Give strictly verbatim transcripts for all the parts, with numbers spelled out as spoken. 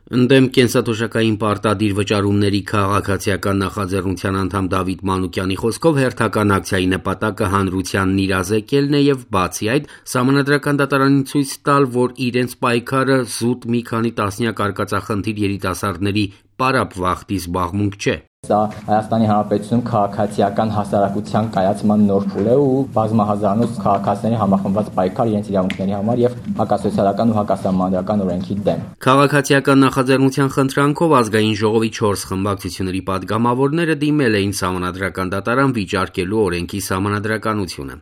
Ընդդեմ կենսաթոշակային պարտադիր վճարումների քաղաքացիական նախաձեռնության անդամ Դավիթ Մանուկյանի խոսքով հերթական ակցիայի նպատակը հանրությանն իրազեկելն է եւ բացի այդ Սահմանադրական դատարանին ցույց տալ, որ իրենց պայքարը զուտ մի քանի տասնյակ արկածախնդիր երիտասարդների պարապ վախտի զբաղմունք չէ։ Սա Հայաստանի Հանրապետությունում քաղաքացիական հասարակության կայացման նոր փուլ է ու բազմահազարանոց քաղաքացիների համախմբված պայքար իրենց իրավունքների համար եւ հակասոցիալական ու հակասահմանադրական օրենքի դեմ։ Քաղաքացիական նախաձեռնության խնդրանքով ազգային ժողովի չորս խմբակցությունների падգամավորները դիմել էին Սահմանադրական դատարան վիճարկելու օրենքի սահմանադրականությունը։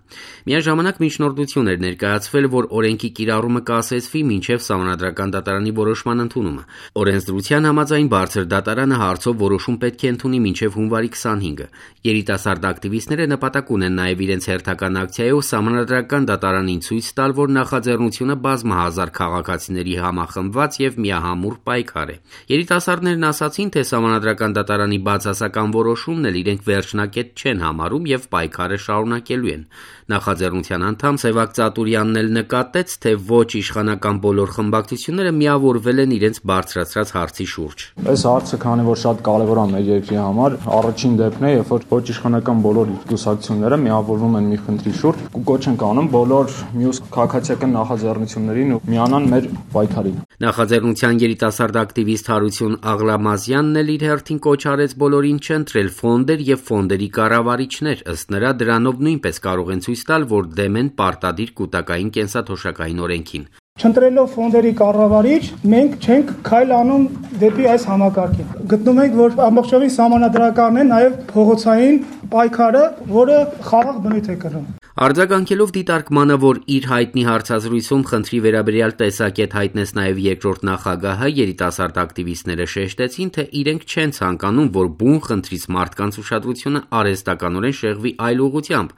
Միաժամանակ միջնորդություն էր ներկայացվել, որ օրենքի կիրառումը կասեցվի մինչև Սահմանադրական դատարանի որոշման ընդունումը։ Օրենսդրության համաձայն բարձր դատարանը հարցով որոշում պետք է ընդունի մինչև հունվարի քսանհինգը։ Երիտասարդ ակտիվիստները նպատակ ունեն նաև իրենց հերթական ակցիայով Սահմանադրական դատարանին ցույց տալ, որ նախաձեռնությունը բազմահազար քաղաքացիների համախմբված եւ միահամուռ պայքար է։ Երիտասարդներն ասացին, թե Սահմանադրական դատարանի բացասական որոշումն էլ իրենք վերջնակետ չեն համարում եւ պայքարը շարունակելու են։ Նախաձեռնության անդամ Սևակ Ծատուրյանն էլ նկատեց, թե ոչ իշխանական բոլոր խմբակցությունները միավորվել են իրենց բարձրացրած հարցի շուրջ։ Այս հարցը քանի որ շատ կարևոր է մեր երկրի համար, առաջին դեպքն է, երբ որ ոչ իշխանական բոլոր կուսակցությունները միավորվում են մի խնդրի շուրջ ու կոչ են կանում բոլոր մյուս քաղաքացիական նախաձեռնություններին ու միանան մեր պայքարին։ Նախաձեռնության երիտասարդ ակտիվիստ Հարություն Աղլամազյանն էլ իր հերթին կոչ արեց բոլորին չընտրել ֆոնդեր եւ ֆոնդերի կառավարիչներ, ըստ նրա դրանով նույնպես կարող են ցույց տալ, որ դեմ են պարտադիր կൂട്ടակային կենսաթոշակային օրենքին։ Չընտրելով ֆոնդերի կառավարիչ, մենք չենք քայլ անում դեպի այս համակարգին։ Գտնում ենք, որ ամբողջովին սահմանադրականն է նաև փողոցային պայքարը, որը խաղաղ բնույթ է կրում։ Արձագանքելով դիտարկմանը, որ իր հայտնի հարցազրույցում խնդրի վերաբերյալ տեսակետ հայտնեց նաև երկրորդ նախագահը, երիտասարդ ակտիվիստները շեշտեցին, թե իրենք չեն ցանկանում, որ բուն խնդրից մարդկանց ուշադրությունը արհեստականորեն շեղվի այլ ուղղությամբ,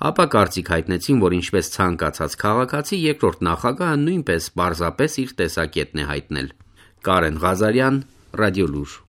ապա կարծիք հայտնեցին, որ ինչպես ցանկացած քաղաքացի, երկրորդ նախագահը նույնպես պարզապես իր տեսակետն է հայտնել։ Կարեն Ղազարյան, Ռադիոլուր։